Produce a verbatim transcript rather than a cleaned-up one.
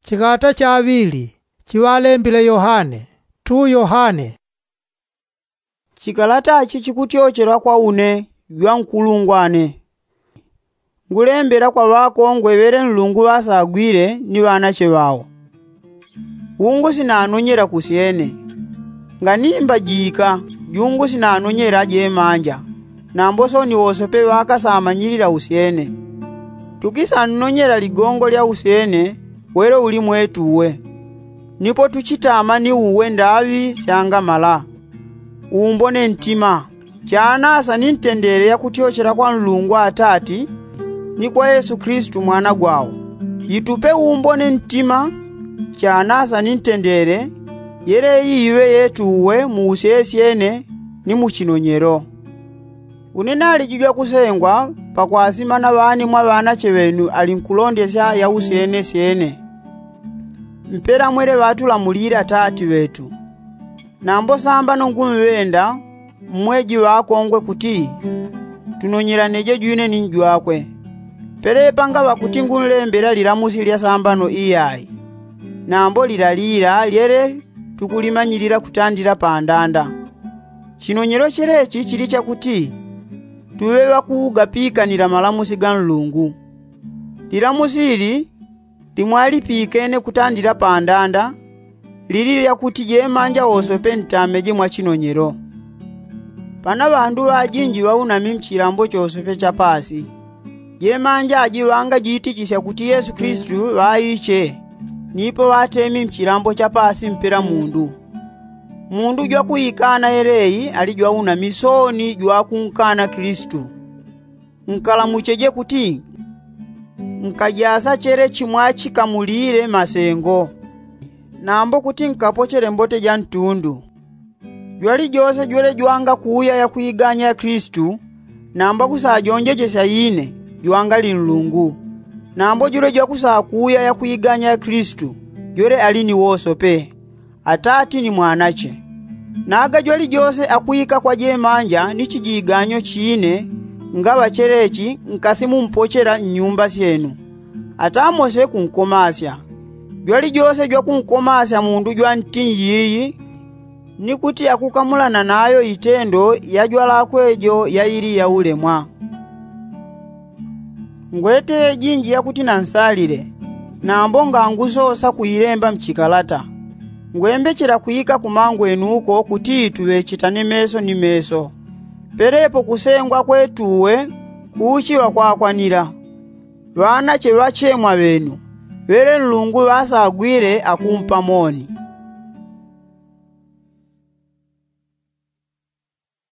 Chikalata chaŵili chiŵalembile yohane. Tu yohane. Chikalata chi chikutyochela kwa une jwa nkulungwane. Ngulembela kwa ŵakongwe ŵele nlungu ŵasagwile ni ŵanache ŵao. Ungu sinanonyela kusyene. Nganimba jika jungu sinanonyela jemanja. Nambo soni wosope ŵakasamanyilila usyene. Tukisannonyela ligongo lya usyene wele uli mwetu uwe. Nipo tuchitama ni uwe ndaŵi syangamala. Umbone ntima. Chanasa ni ntendele yakutyochela kwa nlungu atati ni kwa yesu kristu mwana gwao. Itupe umbone ntima. Chanasa ni ntendele yele iiŵe yetu uwe mu usyesyene ni mu chinonyelo. Une nalijijwa kusengwa pakwasimana ŵani mwa ŵanache ŵenu ali nkulondesya ya usyenesyene. Mpela mwele ŵatulamulile atati ŵetu. Nambo sambano ngumŵenda mmweji ŵakongwe kuti tunonyelaneje jwine ni njwakwe. Pelepa ngaŵa kuti ngunlembela lilamusi lya sambano iyai. Nambo lilalila lyele tukulimanyilila kutandila pandanda. Chinonyelo chelechi chili chakuti tuŵe ŵakugapikanila malamusi ga nlungu. Lilamusi ili limwalipikene kutandila pandanda lili lyakuti jemanja wosope ntameje mwa chinonyelo. Pana ŵandu ŵajinji ŵaunami mchilambo chosope cha pasi. Jemanja ajiŵanga jiitichisya kuti yesu kristu ŵaiche. Nipo ŵatemi mchilambo cha pasi mpela mundu. Mundu jwakuikana yeleyi ali jwaunami soni jwakunkana kristu. Nkalamucheje kuti nkajasa chele chimwachikamulile masengo. Nambo kuti nkapochele mbote ja ntundu. Jwalijose jwele jwanga kuuya yakwiganya ya kristu. Nambo kusajonjechesya ine jwanga li nlungu. Nambo jwele jwakusakuuya yakwiganya ya kristu jwele ali ni wosope. Atati ni mwanache. Naga jwalijose akwika kwa jemanja ni chijiganyo chine ngaŵa chelechi nkasi mumpochela nnyumba syenu. Atamose kunkomasya. Jwalijose jwakunkomasya mundu jwa ntinji iyi ni kuti akukamulana nayo itendo ya jwalakwe jo yaili yaulemwa. Ngwete jinji yakuti nansalile. Nambo ngangusosa kuilemba mchikalata. Ngwembechela kwika kumangwenu uko kuti tuŵechitane meso ni meso. Pelepo kusengwa kwetu uwe kuuchiŵa kwakwanila. Ŵanache ŵachemwa ŵenu ŵele nlungu ŵasagwile akumpa moni.